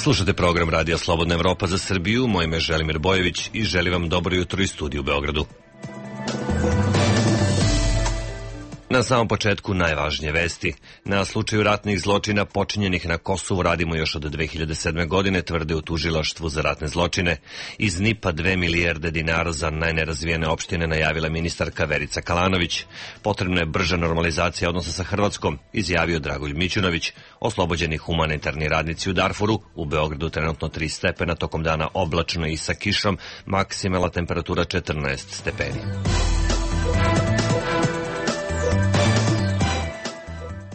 Slušate program Radija Slobodna Evropa za Srbiju, moje ime je Želimir Bojević i želim vam dobro jutro iz studija u Beogradu. Na samom početku najvažnije vesti. Na slučaju ratnih zločina počinjenih na Kosovu radimo još od 2007. godine, tvrde u Tužilaštvu za ratne zločine. Iz NIP-a 2 milijarde dinara za najnerazvijene opštine najavila ministarka Verica Kalanović. Potrebna je brža normalizacija odnosa sa Hrvatskom, izjavio Dragoljub Mićunović. Oslobođeni humanitarni radnici u Darfuru, u Beogradu trenutno 3 stepena, tokom dana oblačno i sa kišom, maksimalna temperatura 14 stepeni.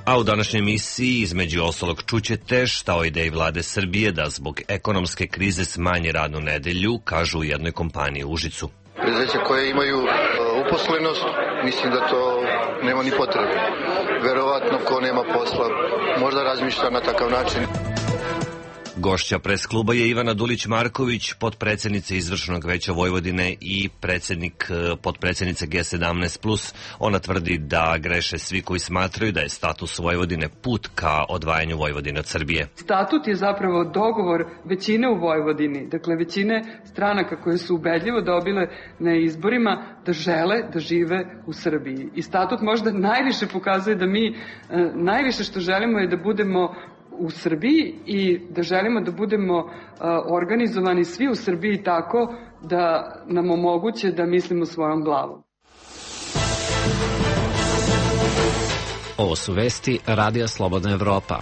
A u današnjoj emisiji između ostalog čućete šta o ideji vlade Srbije da zbog ekonomske krize smanji radnu nedelju, kažu u jednoj kompaniji u Užicu. Preduzeća koje imaju uposlenost, mislim da to nema ni potrebe. Verovatno ko nema posla možda razmišlja na takav način. Gošća pres kluba je Ivana Dulić-Marković, potpredsednica Izvršnog veća Vojvodine i potpredsednica G17+. Ona tvrdi da greše svi koji smatraju da je status Vojvodine put ka odvajanju Vojvodine od Srbije. Statut je zapravo dogovor većine u Vojvodini, dakle većine stranaka koje su ubedljivo dobile na izborima da žele da žive u Srbiji. I statut možda najviše pokazuje da mi najviše što želimo je da budemo u Srbiji i da želimo da budemo organizovani svi u Srbiji tako da nam omoguće da mislimo svojom glavom. Ovo su vesti Radija Slobodna Evropa.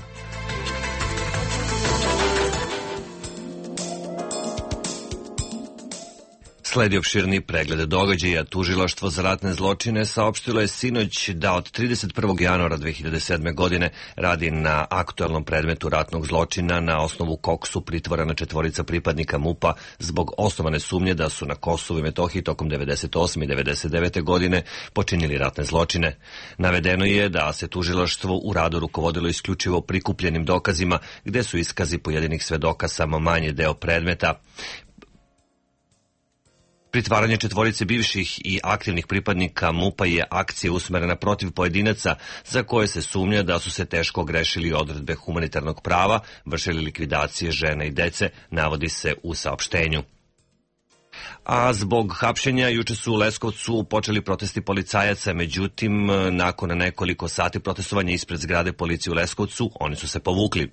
Sledi opširni pregled događaja. Tužilaštvo za ratne zločine saopštilo je sinoć da od 31. januara 2007. godine radi na aktuelnom predmetu ratnog zločina na osnovu kog su pritvorena 4 pripadnika MUP-a zbog osnovane sumnje da su na Kosovu i Metohiji tokom 98. i 99. godine počinili ratne zločine. Navedeno je da se tužilaštvo u radu rukovodilo isključivo prikupljenim dokazima, gde su iskazi pojedinih svedoka samo manji deo predmeta. Pritvaranje 4 bivših i aktivnih pripadnika MUP-a je akcija usmerena protiv pojedinaca za koje se sumnja da su se teško ogrešili odredbe humanitarnog prava, vršili likvidacije žene i dece, navodi se u saopštenju. A zbog hapšenja juče su u Leskovcu počeli protesti policajaca, međutim, nakon nekoliko sati protestovanja ispred zgrade policije u Leskovcu, oni su se povukli.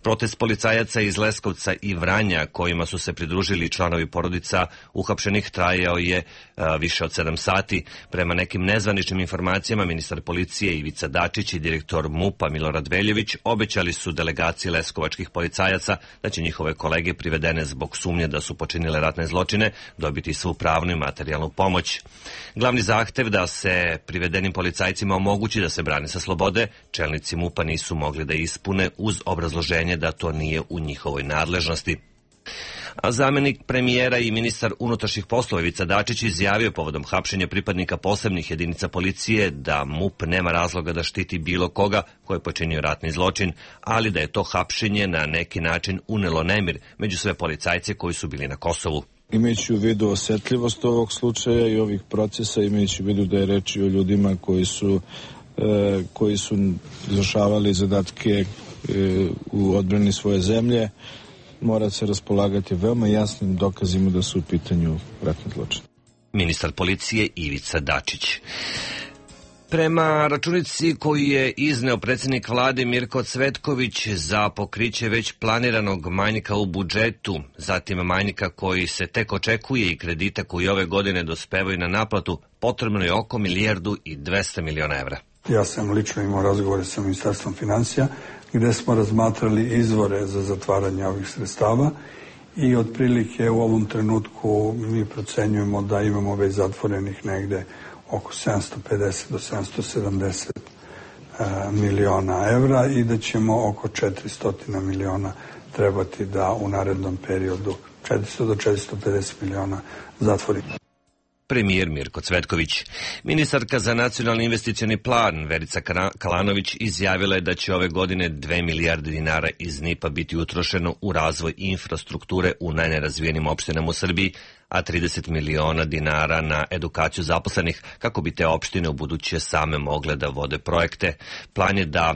Protest policajaca iz Leskovca i Vranja, kojima su se pridružili članovi porodica uhapšenih, trajao je više od 7 sati. Prema nekim nezvaničnim informacijama, ministar policije Ivica Dačić i direktor MUP-a Milorad Veljević obećali su delegaciji leskovačkih policajaca da će njihove kolege privedene zbog sumnje da su počinile ratne zločine dobiti svu pravnu i materijalnu pomoć. Glavni zahtev da se privedenim policajcima omogući da se brane sa slobode, čelnici MUP-a nisu mogli da ispune uz obrazloženje da to nije u njihovoj nadležnosti. A zamenik premijera i ministar unutrašnjih poslova Ivica Dačić izjavio povodom hapšenja pripadnika posebnih jedinica policije da MUP nema razloga da štiti bilo koga ko je počinio ratni zločin, ali da je to hapšenje na neki način unelo nemir među sve policajce koji su bili na Kosovu. Imajući u vidu osetljivost ovog slučaja i ovih procesa, imajući u vidu da je reč o ljudima koji su izvršavali zadatke u odbrani svoje zemlje, mora se raspolagati veoma jasnim dokazima da su u pitanju ratni zločini. Ministar policije Ivica Dačić. Prema računici koju je izneo predsjednik vlade Mirko Cvetković za pokriće već planiranog manjka u budžetu, zatim manjka koji se tek očekuje i kredita koji ove godine dospevaju na naplatu, potrebno je oko 1.200 miliona evra. Ja sam lično imao razgovore sa Ministarstvom finansija gde smo razmatrali izvore za zatvaranje ovih sredstava i otprilike u ovom trenutku mi procenjujemo da imamo već zatvorenih negde oko 750 do 770 miliona evra i da ćemo oko 400 miliona trebati da u narednom periodu 400 do 450 miliona zatvorimo. Premijer Mirko Cvetković. Ministarka za nacionalni investicioni plan Verica Kalanović izjavila je da će ove godine 2 milijarde dinara iz NIP-a biti utrošeno u razvoj infrastrukture u najnerazvijenim opštinama u Srbiji, a 30 miliona dinara na edukaciju zaposlenih kako bi te opštine u buduće same mogle da vode projekte. Plan je da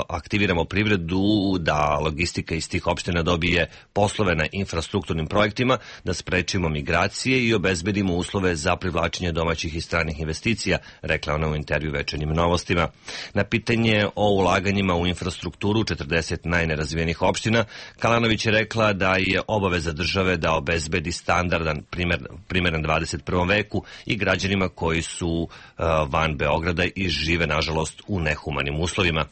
aktiviramo privredu, da logistika iz tih opština dobije poslove na infrastrukturnim projektima, da sprečimo migracije i obezbedimo uslove za privlačenje domaćih i stranih investicija, rekla ona u intervju Večernjim novostima. Na pitanje o ulaganjima u infrastrukturu 40 najnerazvijenih opština, Kalanović je rekla da je obaveza države da obezbedi standardan, primeren 21. veku i građanima koji su van Beograda i žive, nažalost, u nehumanim uslovima.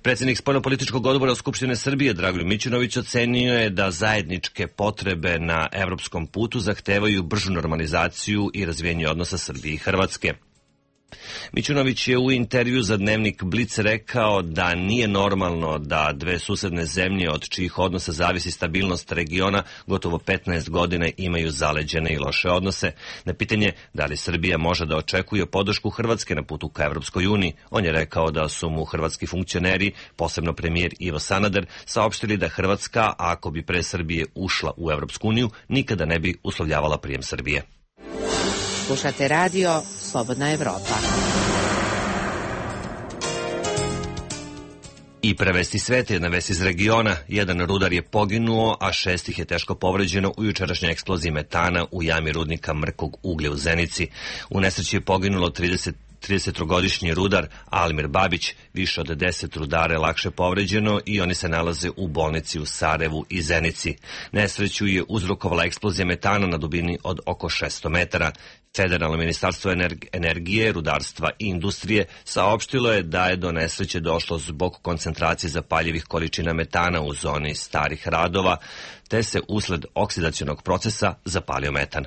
Predsjednik Spoljnopolitičkog odbora Skupštine Srbije Dragoljub Mićunović ocenio je da zajedničke potrebe na evropskom putu zahtevaju bržu normalizaciju i razvijenje odnosa Srbije i Hrvatske. Mićunović je u intervju za dnevnik Blic rekao da nije normalno da dve susedne zemlje od čijih odnosa zavisi stabilnost regiona gotovo 15 godina imaju zaleđene i loše odnose. Na pitanje da li Srbija može da očekuje podršku Hrvatske na putu ka Evropskoj uniji, on je rekao da su mu hrvatski funkcioneri, posebno premijer Ivo Sanader, saopštili da Hrvatska, ako bi pre Srbije ušla u Evropsku uniju, nikada ne bi uslovljavala prijem Srbije. Slušate radio Slobodna Evropa. I prevesti sveta, jedna vest iz regiona. Jedan rudar je poginuo, a 6 ih je teško povređeno u jučerašnjoj eksploziji metana u jami rudnika mrkog uglja u Zenici. U nesreći je poginulo 33-godišnji rudar Almir Babić, više od 10 rudara je lakše povređeno i oni se nalaze u bolnici u Sarajevu i Zenici. Nesreću je uzrokovala eksplozija metana na dubini od oko 600 metara. Federalno ministarstvo energije, rudarstva i industrije saopštilo je da je do nesreće došlo zbog koncentracije zapaljivih količina metana u zoni starih radova, te se usled oksidacionog procesa zapalio metan.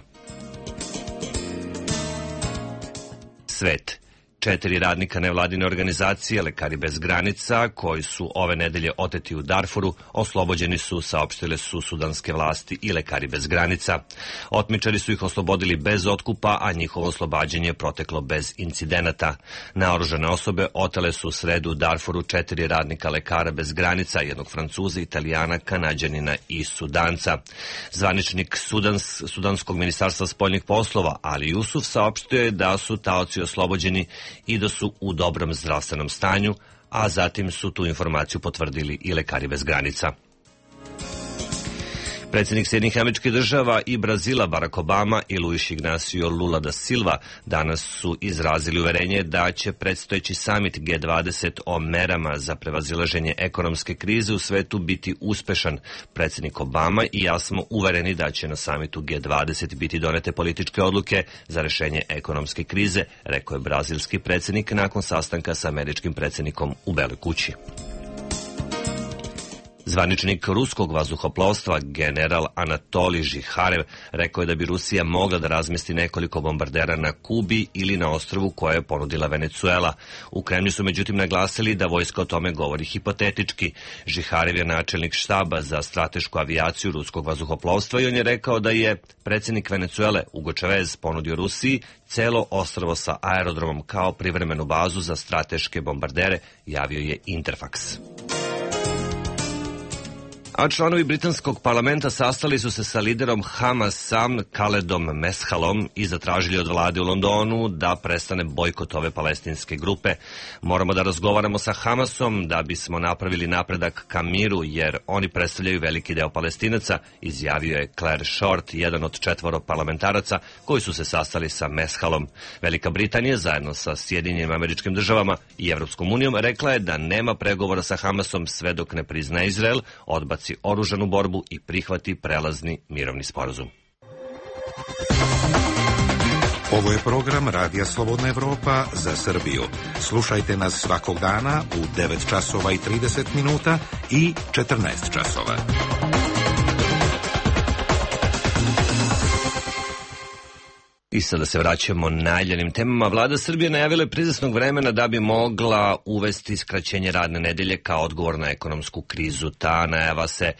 Svet. 4 radnika nevladine organizacije Lekari bez granica, koji su ove nedelje oteti u Darfuru, oslobođeni su, saopštile su sudanske vlasti i Lekari bez granica. Otmičari su ih oslobodili bez otkupa, a njihovo oslobađanje je proteklo bez incidenata. Naoružane osobe otele su u sredu u Darfuru 4 radnika Lekara bez granica, jednog Francuza, Italijana, Kanađanina i Sudanca. Zvaničnik Sudanskog ministarstva spoljnih poslova Ali Jusuf saopštio je da su taoci oslobođeni i da su u dobrom zdravstvenom stanju, a zatim su tu informaciju potvrdili i Lekari bez granica. Predsjednik Sjedinjenih Američkih Država i Brazila Barack Obama i Luis Ignacio Lula da Silva danas su izrazili uverenje da će predstojeći samit G20 o merama za prevazilaženje ekonomske krize u svetu biti uspešan. Predsjednik Obama i ja smo uvereni da će na samitu G20 biti donete političke odluke za rešenje ekonomske krize, rekao je brazilski predsjednik nakon sastanka sa američkim predsjednikom u Beloj kući. Zvaničnik ruskog vazduhoplovstva general Anatolij Žiharev rekao je da bi Rusija mogla da razmesti nekoliko bombardera na Kubi ili na ostrvu koje je ponudila Venecuela. U Kremlju su međutim naglasili da vojska o tome govori hipotetički. Žiharev je načelnik štaba za stratešku avijaciju ruskog vazduhoplovstva i on je rekao da je predsjednik Venecuele Hugo Chavez ponudio Rusiji celo ostrvo sa aerodromom kao privremenu bazu za strateške bombardere, javio je Interfax. A članovi britanskog parlamenta sastali su se sa liderom Hamasa Khaledom Meshalom i zatražili od vlade u Londonu da prestane bojkot ove palestinske grupe. Moramo da razgovaramo sa Hamasom da bismo napravili napredak ka miru, jer oni predstavljaju veliki deo Palestinaca, izjavio je Claire Short, jedan od 4 parlamentaraca koji su se sastali sa Meshalom. Velika Britanija zajedno sa Sjedinjenim Američkim Državama i Evropskom unijom rekla je da nema pregovora sa Hamasom sve dok ne prizna Izrael, odbaci oružanu borbu i prihvati prelazni mirovni sporazum. Ovo je program Radija Slobodna Evropa za Srbiju. Slušajte nas svakog dana u 9 časova i 30 minuta i 14 časova. I sada se vraćamo najavljenim temama. Vlada Srbije najavila je prizasnog vremena da bi mogla uvesti skraćenje radne nedelje kao odgovor na ekonomsku krizu. Ta najava se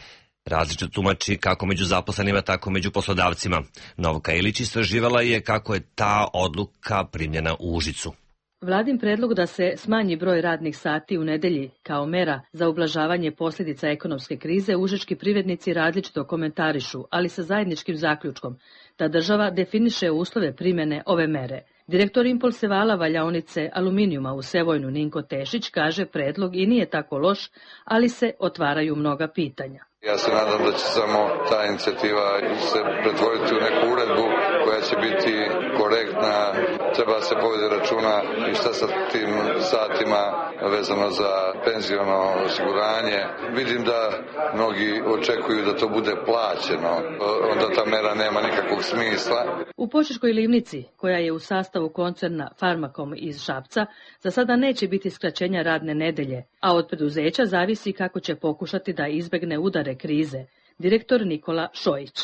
različito tumači kako među zaposlenima, tako među poslodavcima. Novka Ilić istraživala je kako je ta odluka primljena u Užicu. Vladin predlog da se smanji broj radnih sati u nedelji kao mera za ublažavanje posljedica ekonomske krize užički privrednici različito komentarišu, ali sa zajedničkim zaključkom da država definiše uslove primjene ove mere. Direktor Impulsevala valjaonice aluminijuma u Sevojnu Ninko Tešić kaže predlog i nije tako loš, ali se otvaraju mnoga pitanja. Ja se nadam da će samo ta inicijativa se pretvoriti u neku uredbu koja će biti korektna, treba se povede računa i šta sa tim satima vezano za penziono osiguranje. Vidim da mnogi očekuju da to bude plaćeno, onda ta mera nema nikakvog smisla. U Požeškoj livnici, koja je u sastavu koncerna Farmakom iz Šapca, za sada neće biti skraćenja radne nedelje, a od preduzeća zavisi kako će pokušati da izbegne udare krize. Direktor Nikola Šojić.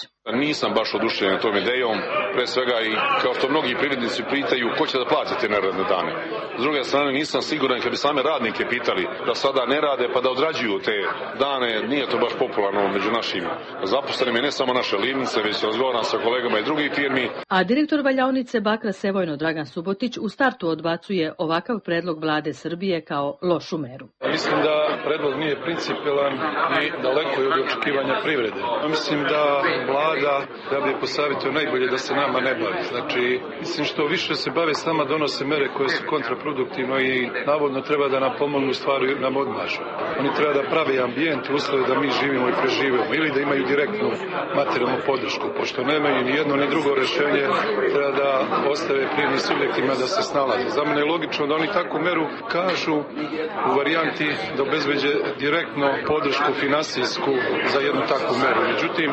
Nisam baš oduševljen tom idejom, pre svega i kao što mnogi privrednici pitaju ko će da plati te neradne dane. S druge strane nisam siguran kad bi same radnike pitali da sada ne rade pa da odrađuju te dane, nije to baš popularno među našim zaposlenim i ne samo naše livnice, već razgovaram sa kolegama i drugih firmi. A direktor valjaonice Bakra Sevojno Dragan Subotić u startu odbacuje ovakav predlog vlade Srbije kao lošu meru. Mislim da predlog nije principijelan i daleko je od očekivanja privrede. Mislim da da bi posavjetio najbolje da se nama ne bavi. Znači, mislim što više se bave s nama donose mere koje su kontraproduktivno i navodno treba da nam pomognu stvari nam odmažu. Oni treba da prave ambijent, uslove da mi živimo i preživimo ili da imaju direktnu materijalnu podršku. Pošto nemaju ni jedno ni drugo rešenje, treba da ostave privrednim subjektima da se snalaze. Za mene je logično da oni takvu meru kažu u varijanti da obezbeđe direktno podršku finansijsku za jednu takvu meru. Međutim,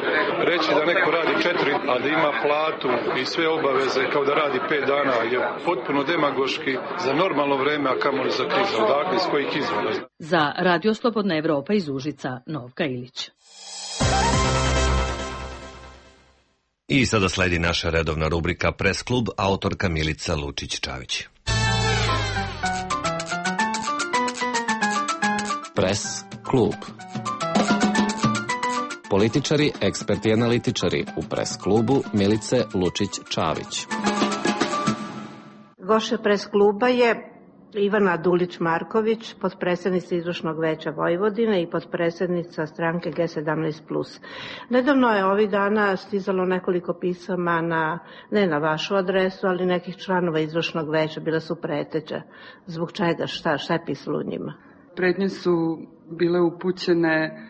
reći da neko radi 4, a da ima platu i sve obaveze kao da radi 5 dana je potpuno demagoški za normalno vreme, a kamoli za krizu. Odakle, iz kojih izvora? Za Radio Slobodna Evropa iz Užica, Novka Ilić. I sada sledi naša redovna rubrika Pres klub, autorka Milica Lučić-Čavić. Pres klub. Političari, eksperti i analitičari u Pres klubu Milice Lučić-Čavić. Gošća Pres kluba je Ivana Dulić-Marković, potpredsednica Izvršnog veća Vojvodine i potpredsednica stranke G17+. Nedavno je ovih dana stizalo nekoliko pisama ne na vašu adresu, ali nekih članova Izvršnog veća, bila su preteća. Zbog čega? Šta je pisalo u njima? Pretnje su bile upućene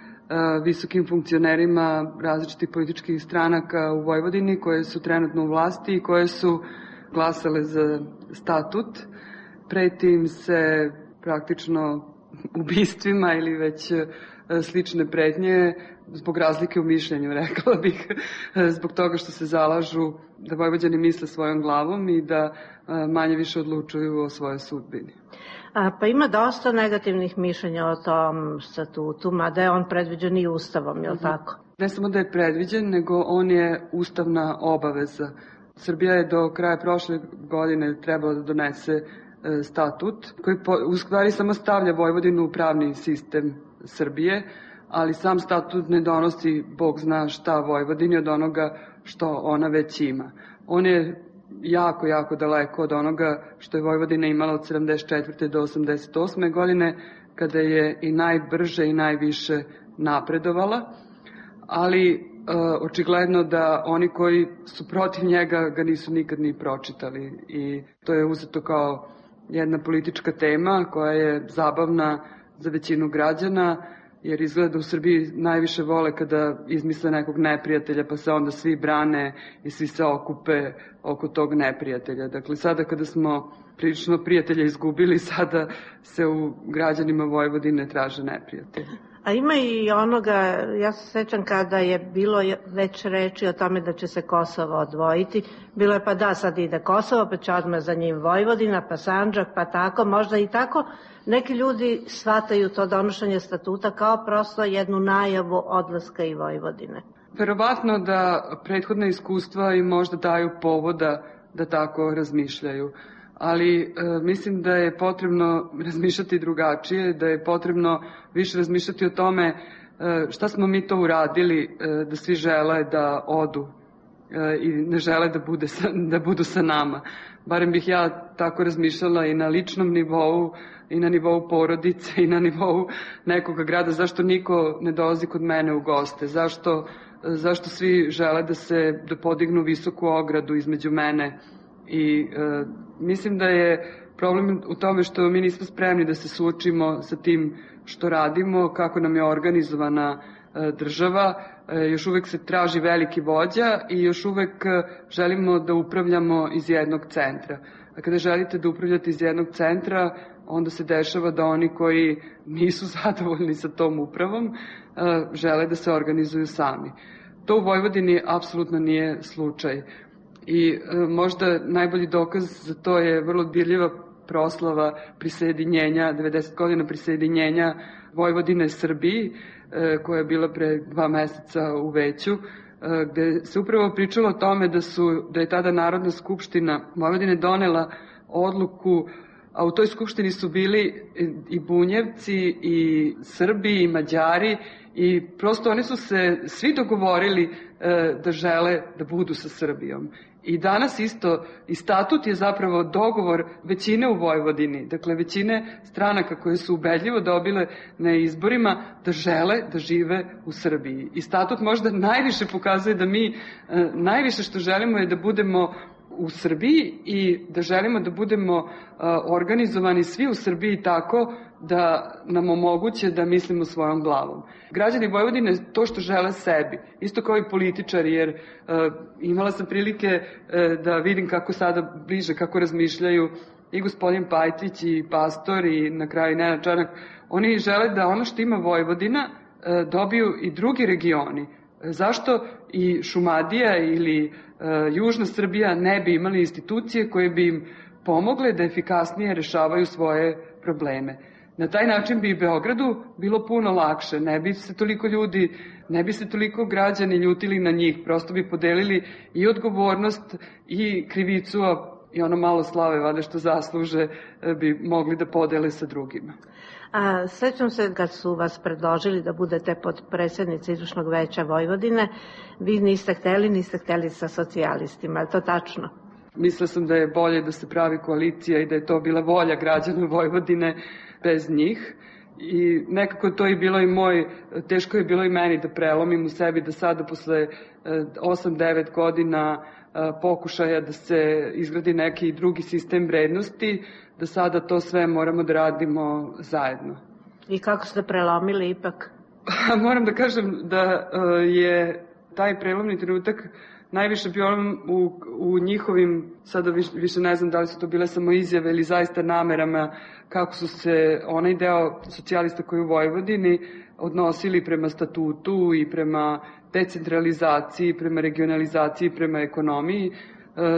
visokim funkcionerima različitih političkih stranaka u Vojvodini koje su trenutno u vlasti i koje su glasale za statut. Preti im se praktično ubistvima ili već slične pretnje zbog razlike u mišljenju, rekla bih, zbog toga što se zalažu da Vojvođani misle svojom glavom i da manje više odlučuju o svojoj sudbini. Pa ima dosta negativnih mišljenja o tom statutu, mada je on predviđen i Ustavom, je li tako? Ne samo da je predviđen, nego on je ustavna obaveza. Srbija je do kraja prošle godine trebala da donese statut koji u stvari samo stavlja Vojvodinu u pravni sistem Srbije, ali sam statut ne donosi Bog zna šta Vojvodini od onoga što ona već ima. On je jako, jako daleko od onoga što je Vojvodina imala od 74. do 88. godine, kada je i najbrže i najviše napredovala, ali očigledno da oni koji su protiv njega ga nisu nikad ni pročitali i to je uzeto kao jedna politička tema koja je zabavna za većinu građana, jer izgleda u Srbiji najviše vole kada izmisle nekog neprijatelja pa se onda svi brane i svi se okupe oko tog neprijatelja. Dakle, sada kada smo prilično prijatelja izgubili, sada se u građanima Vojvodine traže neprijatelji. A ima i onoga, ja se sećam kada je bilo već reči o tome da će se Kosovo odvojiti, bilo je pa da sad ide Kosovo, pa će odmah za njim Vojvodina, pa Sandžak, pa tako, možda i tako. Neki ljudi shvataju to donošenje statuta kao prosto jednu najavu odlaska i Vojvodine. Verovatno da prethodne iskustva im možda daju povoda da tako razmišljaju. Ali mislim da je potrebno razmišljati drugačije, da je potrebno više razmišljati o tome šta smo mi to uradili da svi žele da odu i ne žele da budu sa nama. Barem bih ja tako razmišljala i na ličnom nivou, i na nivou porodice, i na nivou nekoga grada. Zašto niko ne dolazi kod mene u goste? Zašto svi žele da podignu visoku ogradu između mene I mislim da je problem u tome što mi nismo spremni da se suočimo sa tim što radimo, kako nam je organizovana država. Još uvek se traži veliki vođa i još uvek želimo da upravljamo iz jednog centra. A kada želite da upravljate iz jednog centra, onda se dešava da oni koji nisu zadovoljni sa tom upravom žele da se organizuju sami. To u Vojvodini apsolutno nije slučaj. I možda najbolji dokaz za to je vrlo dirljiva proslava prisjedinjenja, 90 godina prisjedinjenja Vojvodine Srbiji, koja je bila pre 2 meseca u Veću, gde se upravo pričalo o tome da je tada Narodna skupština Vojvodine donela odluku, a u toj skupštini su bili i Bunjevci, i Srbi, i Mađari, i prosto oni su se svi dogovorili da žele da budu sa Srbijom. I danas isto, i statut je zapravo dogovor većine u Vojvodini, dakle većine stranaka koje su ubedljivo dobile na izborima da žele da žive u Srbiji. I statut možda najviše pokazuje da mi najviše što želimo je da budemo u Srbiji i da želimo da budemo organizovani svi u Srbiji tako da nam omoguće da mislimo svojom glavom. Građani Vojvodine to što žele sebi, isto kao i političari, jer imala sam prilike da vidim kako sada bliže, kako razmišljaju i gospodin Pajtić i Pastor i na kraju Nenad Čanak. Oni žele da ono što ima Vojvodina dobiju i drugi regioni. Zašto i Šumadija ili Južna Srbija ne bi imali institucije koje bi im pomogle da efikasnije rešavaju svoje probleme? Na taj način bi i Beogradu bilo puno lakše, ne bi se toliko građani ljutili na njih, prosto bi podelili i odgovornost i krivicu, i ono malo slave, vada što zasluže, bi mogli da podele sa drugima. Sećam se kad su vas predložili da budete potpredsednica Izvršnog veća Vojvodine, vi niste hteli sa socijalistima, je to tačno? Mislila sam da je bolje da se pravi koalicija i da je to bila volja građana Vojvodine bez njih. I nekako to je bilo i teško je bilo i meni da prelomim u sebi da sada posle 8-9 godina pokušaja da se izgradi neki drugi sistem vrednosti, da sada to sve moramo da radimo zajedno. I kako ste prelomili ipak? Moram da kažem da je taj prelomni trenutak najviše bio u njihovim, sada više ne znam da li su to bile samo izjave ili zaista namerama, kako su se onaj deo socijalista koji u Vojvodini odnosili prema statutu i prema decentralizaciji, prema regionalizaciji, prema ekonomiji.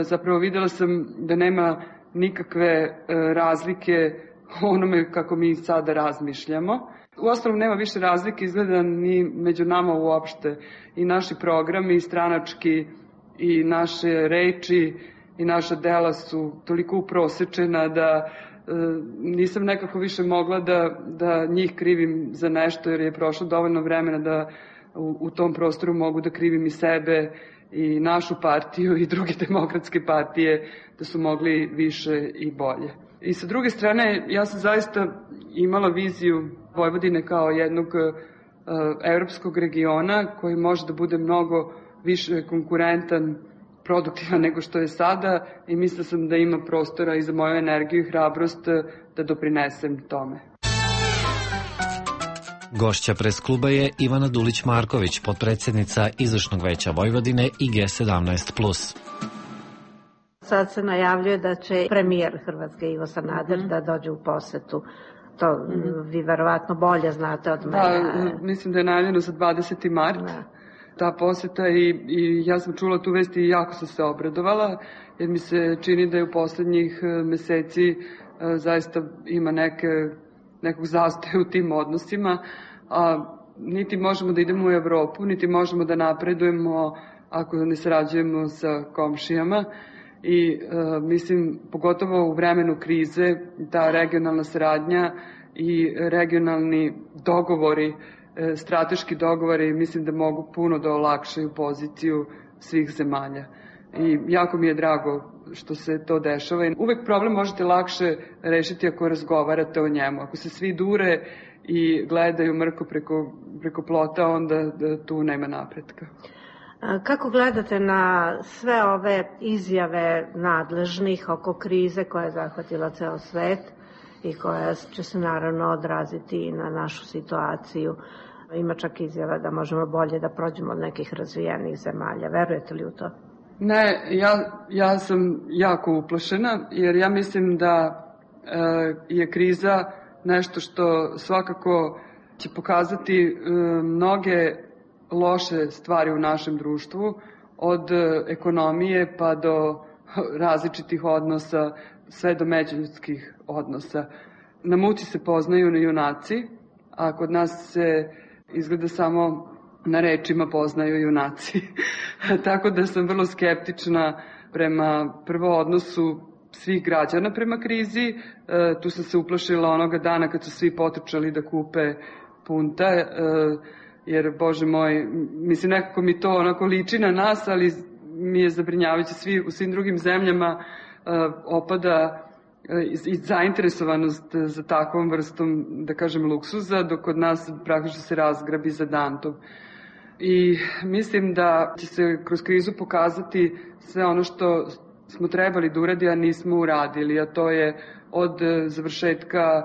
Zapravo videla sam da nema nikakve razlike onome kako mi sada razmišljamo. Uostalom nema više razlike izgleda ni među nama uopšte. I naši programi, i stranački, i naše reči, i naša dela su toliko uprosečena da nisam nekako više mogla da njih krivim za nešto, jer je prošlo dovoljno vremena da u tom prostoru mogu da krivim i sebe i našu partiju i druge demokratske partije, da su mogli više i bolje. I sa druge strane, ja sam zaista imala viziju Vojvodine kao jednog evropskog regiona koji može da bude mnogo više konkurentan, produktivan nego što je sada, i mislila sam da ima prostora i za moju energiju i hrabrost da doprinesem tome. Gošća pres kluba je Ivana Dulić-Marković, potpredsjednica Izvršnog veća Vojvodine i G17+. Sad se najavljuje da će premijer Hrvatske Ivo Sanader da dođe u posetu. To vi verovatno bolje znate od mene. Mislim da je najavljeno za 20. mart. Ta poseta i ja sam čula tu vest i jako sam se obradovala, jer mi se čini da je u poslednjih meseci zaista ima nekog zastoja u tim odnosima, a niti možemo da idemo u Evropu, niti možemo da napredujemo ako ne sarađujemo sa komšijama. I mislim, pogotovo u vremenu krize, ta regionalna saradnja i regionalni dogovori, strateški dogovori, mislim da mogu puno da olakšaju poziciju svih zemalja. I jako mi je drago što se to dešava. Uvek problem možete lakše rešiti ako razgovarate o njemu. Ako se svi dure i gledaju mrko preko plota, onda tu nema napretka. Kako gledate na sve ove izjave nadležnih oko krize koja je zahvatila ceo svet i koja će se naravno odraziti i na našu situaciju? Ima čak izjava da možemo bolje da prođemo od nekih razvijenih zemalja. Verujete li u to? Ne, ja sam jako uplašena jer ja mislim da je kriza nešto što svakako će pokazati mnoge loše stvari u našem društvu, od ekonomije pa do različitih odnosa, sve do međuljudskih odnosa. Na muci se poznaju junaci, a kod nas se izgleda samo na rečima poznaju junaci. Tako da sam vrlo skeptična prema prvo odnosu svih građana prema krizi. Tu sam se uplašila onoga dana kad su svi potrčali da kupe punta, jer, Bože moj, mislim, nekako mi to onako liči na nas, ali mi je zabrinjavajuće. U svim drugim zemljama opada i zainteresovanost za takvom vrstom, da kažem, luksuza, dok kod nas praktično se razgrabi za dantom. I mislim da će se kroz krizu pokazati sve ono što smo trebali da uradi, a nismo uradili, a to je od završetka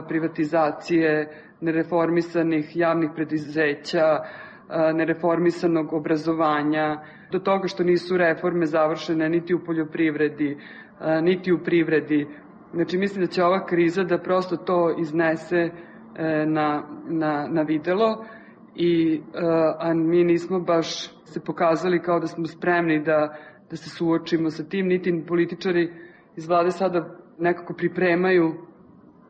privatizacije, nereformisanih javnih preduzeća, nereformisanog obrazovanja, do toga što nisu reforme završene niti u poljoprivredi, niti u privredi. Znači, mislim da će ova kriza da prosto to iznese na videlo, a mi nismo baš se pokazali kao da smo spremni da se suočimo sa tim, niti političari iz vlade sada nekako pripremaju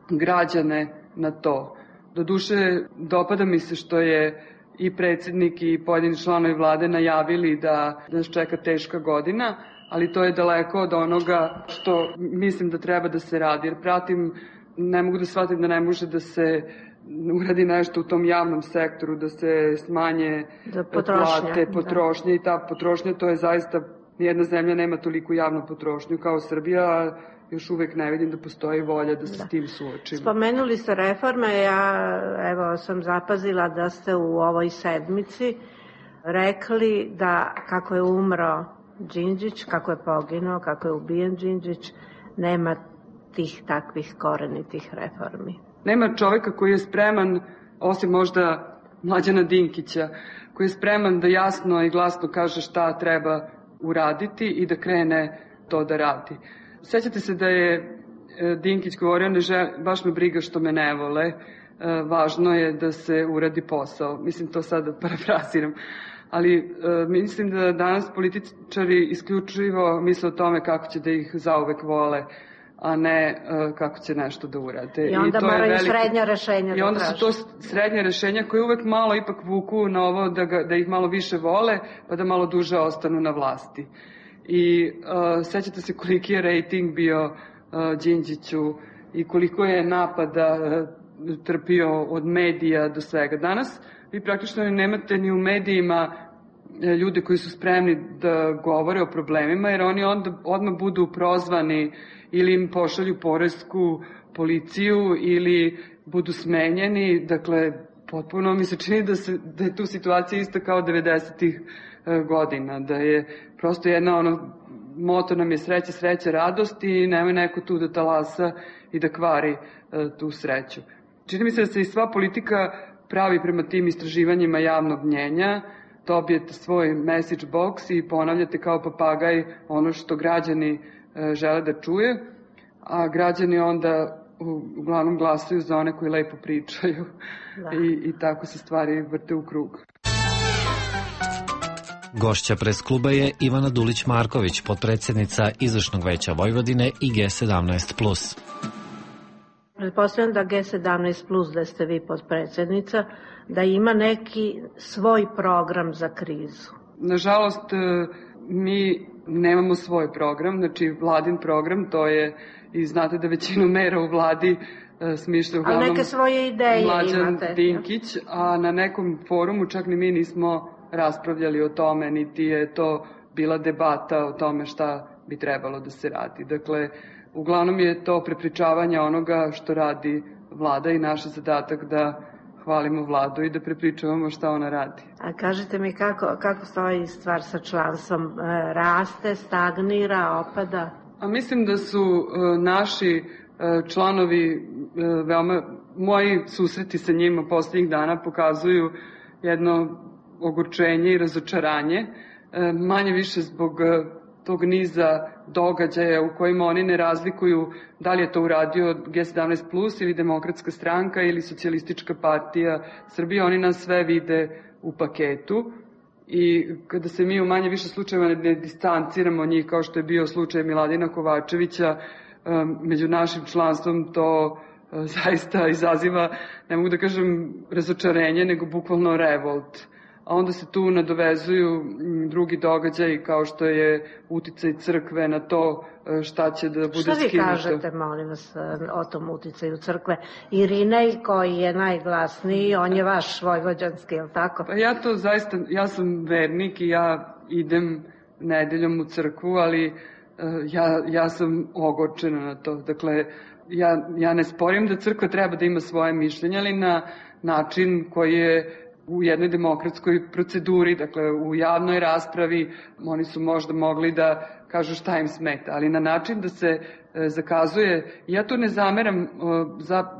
građane na to. Doduše, dopada mi se što je i predsjednik i pojedini članovi vlade najavili da nas čeka teška godina, ali to je daleko od onoga što mislim da treba da se radi. Jer pratim, ne mogu da shvatim da ne može da se uradi nešto u tom javnom sektoru, da se smanje plate, potrošnje i ta potrošnja, to je zaista, nijedna zemlja nema toliko javnu potrošnju kao Srbija, još uvek ne vidim da postoji volja da se s tim suočimo. Spomenuli ste reforme, ja sam zapazila da ste u ovoj sedmici rekli da kako je umro Đinđić, kako je poginuo, kako je ubijen Đinđić, nema tih takvih korenitih reformi. Nema čoveka koji je spreman, osim možda Mlađana Dinkića, koji je spreman da jasno i glasno kaže šta treba uraditi i da krene to da radi. Sećate se da je Dinkić govorio, baš me briga što me ne vole, važno je da se uradi posao. Mislim, to sada parafraziram. Ali mislim da danas političari isključivo misle o tome kako će da ih zauvek vole, a ne kako će nešto da urade. I onda moraju srednja rešenja. I onda su to srednja rešenja koje uvek malo ipak vuku na ovo da ih malo više vole, pa da malo duže ostanu na vlasti. I sećate se koliki je rejting bio Đinđiću i koliko je napada trpio od medija do svega. Danas vi praktično nemate ni u medijima ljude koji su spremni da govore o problemima, jer oni odmah budu prozvani ili im pošalju poresku policiju ili budu smenjeni. Dakle, potpuno mi se čini da je tu situacija ista kao 90-ih godina, da je prosto jedna moto nam je sreća, sreća, radost i nemoj neko tu da talasa i da kvari tu sreću. Čini mi se da se i sva politika pravi prema tim istraživanjima javnog mnjenja, dobijete svoj message box i ponavljate kao papagaj ono što građani žele da čuje, a građani onda uglavnom glasaju za one koji lepo pričaju i tako se stvari vrte u krug. Gošća pres kluba je Ivana Dulić-Marković, potpredsednica Izvršnog veća Vojvodine i G17+. Pretpostavljam da G17+, da ste vi potpredsednica, da ima neki svoj program za krizu. Nažalost, mi nemamo svoj program, znači vladin program, to je, i znate da većinu mera u vladi smišlja uglavnom neke svoje ideje Mlađan Dinkić, a na nekom forumu čak ni mi nismo raspravljali o tome, niti je to bila debata o tome šta bi trebalo da se radi. Dakle, uglavnom je to prepričavanje onoga što radi vlada i naš zadatak da hvalimo vladu i da prepričavamo šta ona radi. A kažete mi kako stoji stvar sa članstvom? Raste, stagnira, opada? A mislim da su naši članovi moji susreti sa njima poslednjih dana pokazuju jedno ogorčenje i razočaranje, manje više zbog tog niza događaja u kojima oni ne razlikuju da li je to uradio G17+, ili Demokratska stranka ili Socijalistička partija Srbije. Oni nas sve vide u paketu i kada se mi u manje više slučajeva ne distanciramo od njih, kao što je bio slučaj Miladina Kovačevića, među našim članstvom to zaista izaziva, ne mogu da kažem razočarenje, nego bukvalno revolt. A onda se tu nadovezuju drugi događaji kao što je uticaj crkve na to šta će da bude skinuto. Šta vi kažete, molim vas, o tom uticaju crkve? Irinej, koji je najglasniji, on je vaš vojvođanski, je li tako? Pa ja to zaista, ja sam vernik i ja idem nedeljom u crkvu, ali ja sam ogorčena na to. Dakle, ja ne sporim da crkva treba da ima svoje mišljenje, ali na način koji je u jednoj demokratskoj proceduri, dakle u javnoj raspravi, oni su možda mogli da kažu šta im smeta, ali na način da se zakazuje, ja tu ne zameram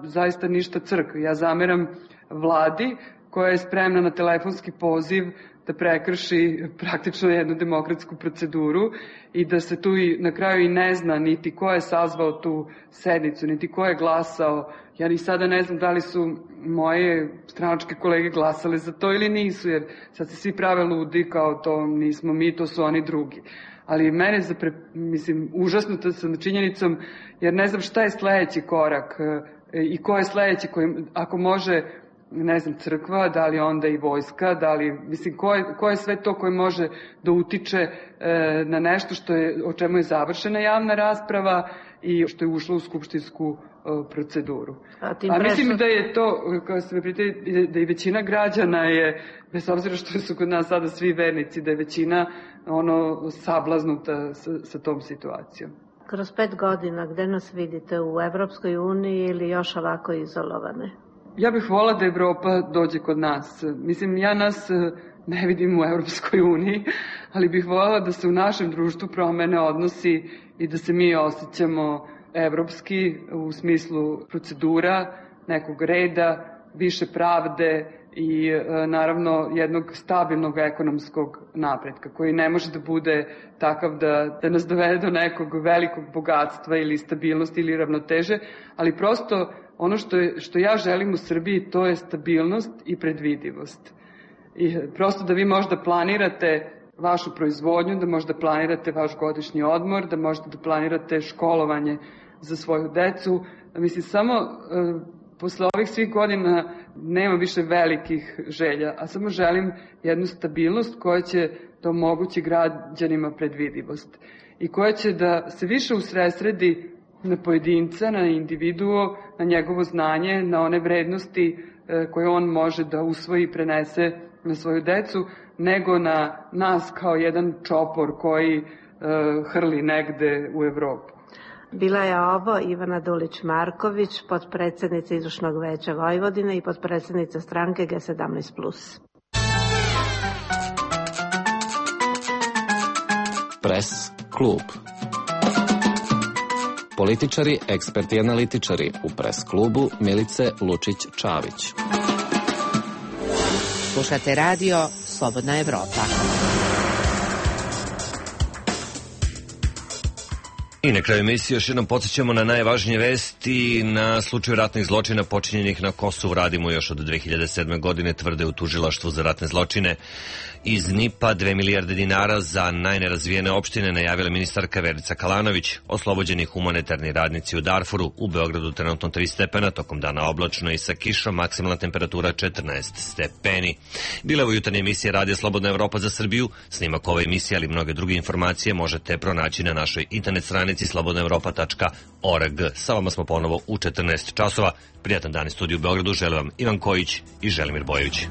zaista ništa crkvi, ja zameram vladi koja je spremna na telefonski poziv da prekrši praktično jednu demokratsku proceduru i da se tu na kraju i ne zna niti ko je sazvao tu sednicu, niti ko je glasao. Ja ni sada ne znam da li su moje stranačke kolege glasale za to ili nisu, jer sad se svi prave ludi kao to nismo mi, to su oni drugi. Ali mene užasnuta sam činjenicom, jer ne znam šta je sledeći korak i ko je sledeći koji, ako može, ne znam, crkva, da li onda i vojska, da li, ko je sve to koji može da utiče na nešto o čemu je završena javna rasprava i što je ušlo u skupštinsku proceduru. A mislim da je to, kao se pitali, da i većina građana je, bez obzira što su kod nas sada svi vernici, da je većina sablaznuta sa tom situacijom. Kroz 5 godina, gde nas vidite, u Evropskoj uniji ili još ovako izolovane? Ja bih volila da Evropa dođe kod nas. Mislim, ja nas ne vidim u Evropskoj uniji, ali bih voljela da se u našem društvu promene odnosi i da se mi osjećamo evropski u smislu procedura, nekog reda, više pravde i naravno jednog stabilnog ekonomskog napretka koji ne može da bude takav da nas dovede do nekog velikog bogatstva ili stabilnosti ili ravnoteže, ali prosto ono što ja želim u Srbiji, to je stabilnost i predvidivost. I prosto da vi možda planirate vašu proizvodnju, da možda planirate vaš godišnji odmor, da možda da planirate školovanje za svoju decu. Mislim, samo posle ovih svih godina nema više velikih želja, a samo želim jednu stabilnost koja će da omogući građanima predvidivost i koja će da se više usredsredi na pojedinca, na individuo, na njegovo znanje, na one vrednosti koje on može da usvoji i prenese na svoju decu, nego na nas kao jedan čopor koji hrli negde u Evropu. Bila je ovo Ivana Dulić-Marković, potpredsednica Izvršnog veća Vojvodine i potpredsednica stranke G17+. Pres klub. Političari, eksperti i analitičari u Pres klubu Milice Lučić-Čavić. Slušate radio Slobodna Evropa. I na kraju emisije još jednom podsjećamo na najvažnije vesti. Na slučaju ratnih zločina počinjenih na Kosovu radimo još od 2007. godine, tvrde u tužilaštvu za ratne zločine. Iz NIP-a 2 milijarde dinara za najnerazvijene opštine najavila ministarka Verica Kalanović. Oslobođeni humanitarni radnici u Darfuru. U Beogradu trenutno 3 stepena, tokom dana oblačno i sa kišom, maksimalna temperatura 14 stepeni. Bila je ovo jutarnja emisija Radija Slobodna Evropa za Srbiju. Snimak ove emisije, ali mnoge druge informacije možete pronaći na našoj internet stranici slobodnaevropa.org. Sa vama smo ponovo u 14 časova. Prijatan dan iz studiju u Beogradu. Želim vam Ivan Kojić i Želimir Bojević.